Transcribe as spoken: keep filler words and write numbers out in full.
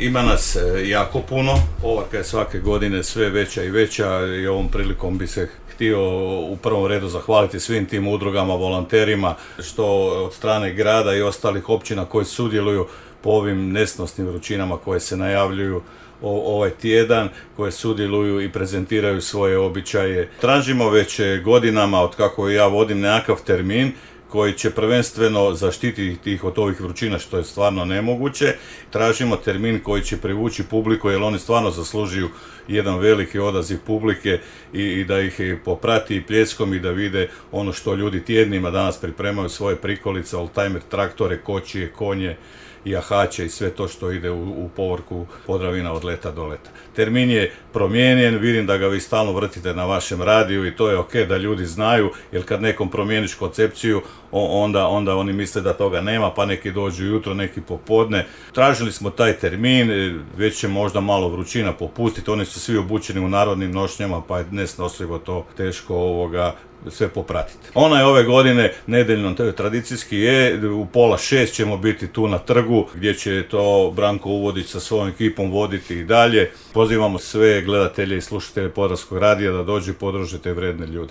Ima nas e, jako puno, povorka je svake godine sve veća i veća i ovom prilikom bi se htio u prvom redu zahvaliti svim tim udrugama, volonterima, što od strane grada i ostalih općina koji sudjeluju po ovim nesnosnim vrućinama koje se najavljuju ovaj tjedan, koje sudjeluju i prezentiraju svoje običaje. Tražimo već godinama, od kako ja vodim, nekakav termin koji će prvenstveno zaštititi ih od ovih vrućina, što je stvarno nemoguće. Tražimo termin koji će privući publiku, jer oni stvarno zaslužuju jedan veliki odaziv publike i, i da ih poprati pljeskom i da vide ono što ljudi tjednima danas pripremaju, svoje prikolice, oldtimer, traktore, kočije, konje, jahače i sve to što ide u, u povorku Podravina od leta do leta. Termin je promijenjen, vidim da ga vi stalno vrtite na vašem radiju i to je ok da ljudi znaju, jer kad nekom promijeniš koncepciju, onda, onda oni misle da toga nema, pa neki dođu jutro, neki popodne. Tražili smo taj termin, već će možda malo vrućina popustiti, oni su svi obučeni u narodnim nošnjama, pa je nesnosljivo to teško ovoga sve popratiti. Ona je ove godine nedeljno, tradicijski je, u pola šest ćemo biti tu na trgu, gdje će to Branko Uvodić sa svojom ekipom voditi i dalje. Pozivamo sve gledatelje i slušatelje Podravskog radija da dođu i podrže te vredne ljude.